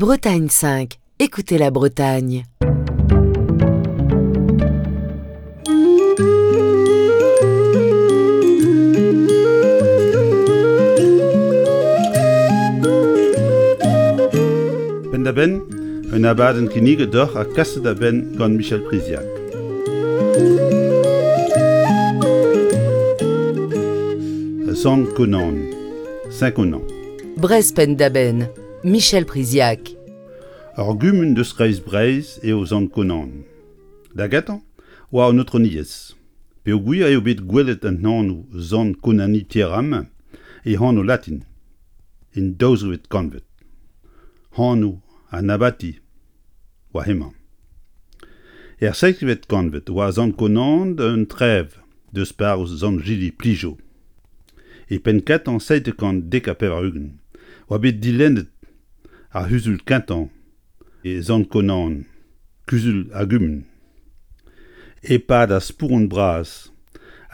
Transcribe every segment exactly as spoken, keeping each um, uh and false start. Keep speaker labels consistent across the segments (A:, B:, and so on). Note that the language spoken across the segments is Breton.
A: Bretagne cinq, écoutez la Bretagne.
B: Penn-da-benn, un abadenn kinniget deoc'h ha kaset da benn gant Michel Priziac. Sant Konan, Saint-Conan.
A: Breizh penn-da-benn, Michel Priziac.
B: Ur gumun deus kreiz Breizh eo Sant Konan. Da gentañ oa an aotrouniezh. Peogwir eo bet gwelet an anv Sant Konani Pierre-Am e anv latin, en daouzekvet kantved. Anv an abati oa hemañ. Er seizhvet kantved oa Sant Konan un trev deus parrouz Sant-Jili Plijo. E penn kentañ seitek kant dek ha pevar-ugent oa bet dilennet ar c'huzul kentañ e Sant Konan, kuzul a gumun. E-pad ar spouron bras,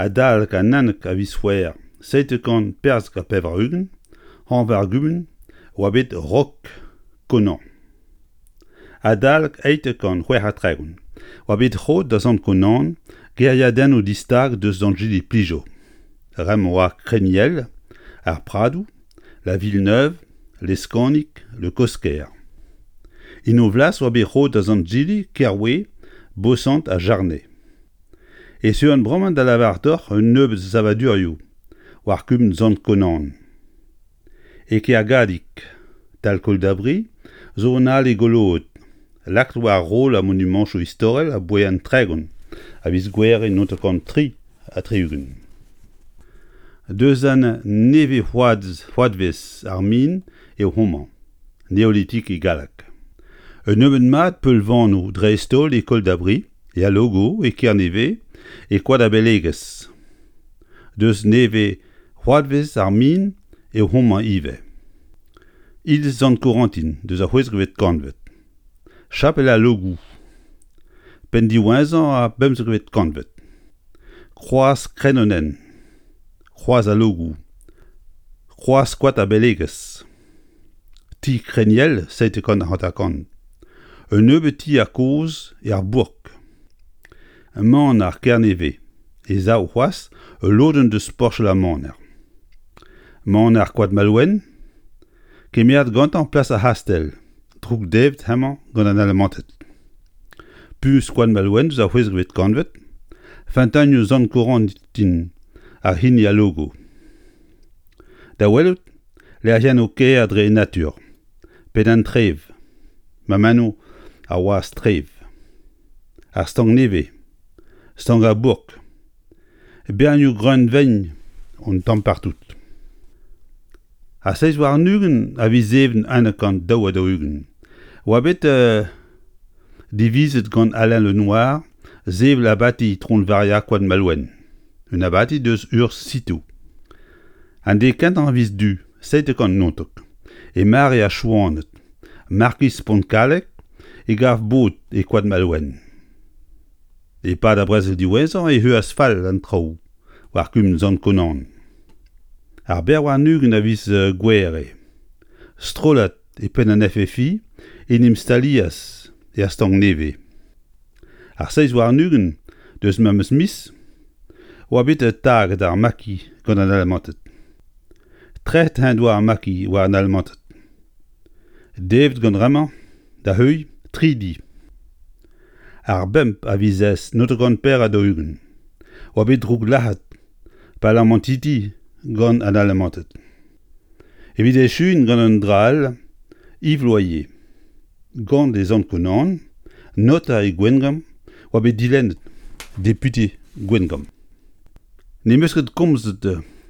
B: adalek an unnek a viz C'hwevrer seitek kant perzek ha pevar-ugent, anv ar gumun oa bet Rok Konan. Adalek eizhtek kant c'hwec'h ha tregont oa bet roet da Sant Konan kêriadennoù distag deus Sant-Jili Plijo. Bremañ oa Kreniel, ar Pradoù, La Villeneuve, Leskanig, Le Cosquer. En o flas oa bet roet da Sant-Jili, Kerwe, Bosant ha Jarnay. E zeuan bremañ da lavaret deoc'h un nebeud savadurioù war kumun Sant Konan. E Kergadig, tal Koldabri, zo un ale goloet, lakaet war roll ar monumantoù istorel aboae an tregont a viz Gouhere naontek kant tri ha tri-ugent. Deus an nevez-oadvezh ar min eo homañ, néolithique e galleg. Un nebeud mat peulvanoù dreist-holl e Koldabri, e Al Logo, e Kernevez, e Koad-ar-Belegez. Deus nevez-oadvezh ar min eo homañ ivez. Iliz Sant Korantin deus ar c'hwezekvet kantved. Chapel al Logou. Penn diwezhañ ar pemzekvet kantved. Kroaz Krenonenn. Kroaz al Logou. Kroaz Koad ar Belegez. Ti Kreniel seitek kant hanter-kant. Un nebeud tier kozh er bourk. Maner Kernevez e sav c'hoazh ul lodenn deus porched ar maner. Maner Koad Malouen, kemeret gantañ plas ar c'hastell, droukdevet hemañ gant an Alamanted. Puñs Koad Malouen deus ar c'hwezekvet kantved, feunteunioù Sant Korantin ha hini al Logo. Da welout, lec'hiennoù kaer dre natur, Penn-an-Trev, mammennoù ar wazh Trev, ar Stank Nevez, Stank ar Bourk, bernioù greunvaen un tamm partout. Ar seizh warn-ugent a viz Even unnek kant daou ha daou-ugent oa bet euh, divizet gant Alain Le Noir sevel abati Itron Varia Koad Malouen, un abati deus urzh Citeaux. An deiz kentañ a viz Du, seitek kant naontek, e mare ar Chouaned, markiz Pontkalleg e gav bod e Koad Malouen. E-pad ar brezel diwezhañ e heuas fall an traoù war kumun Sant Konan. Ar bevar warn-ugent a viz Gouhere, strollad e penn an F F I en em stalias er Stank Nevez. Ar seizh warn-ugent deus memes miz oa bet taget ar maquis gant an Alamanted. Trec'het en doa ar maquis war an Alamanted. Devet gant bremañ da heuilh tri di. Ar bemp a viz eizh naontek kant pevar ha daou-ugent oa bet drouglac'het parlamantidi gant an Alamanted. Evit echuiñ gant un dra all, Yves Loyer, gant e Sant Konan, noter e Gwengamp, oa bet dilennet député Gwengamp. N'em eus ket komzet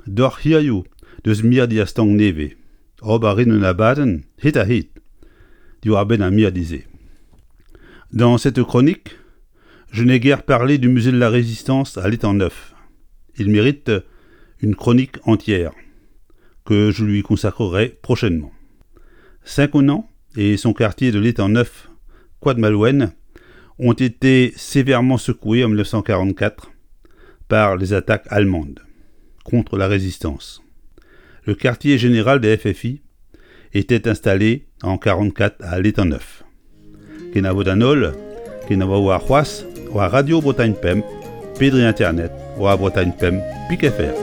B: deoc'h hiziv deus mirdi ar Stank Nevez. Ober a rin un abadenn hed-ha-hed diwar-benn ar mirdi-se. Dans cette chronique, je n'ai guère parlé du musée de la Résistance à l'Étang Neuf. Il mérite une chronique entière que je lui consacrerai prochainement. Saint-Conan et son quartier de l'Étang Neuf, Koad-Malouen, ont été sévèrement secoués en mille neuf cent quarante-quatre par les attaques allemandes contre la résistance. Le quartier général des F F I était installé en quarante-quatre à L'étang-Neuf. Kenavo d'an holl, kenavo war c'hoazh war Radio Bretagne Pemp, pe dre internet war Bretagne Pemp pik F R.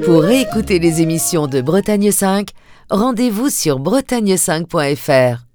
A: Pour réécouter les émissions de Bretagne cinq, rendez-vous sur bretagne cinq point F R.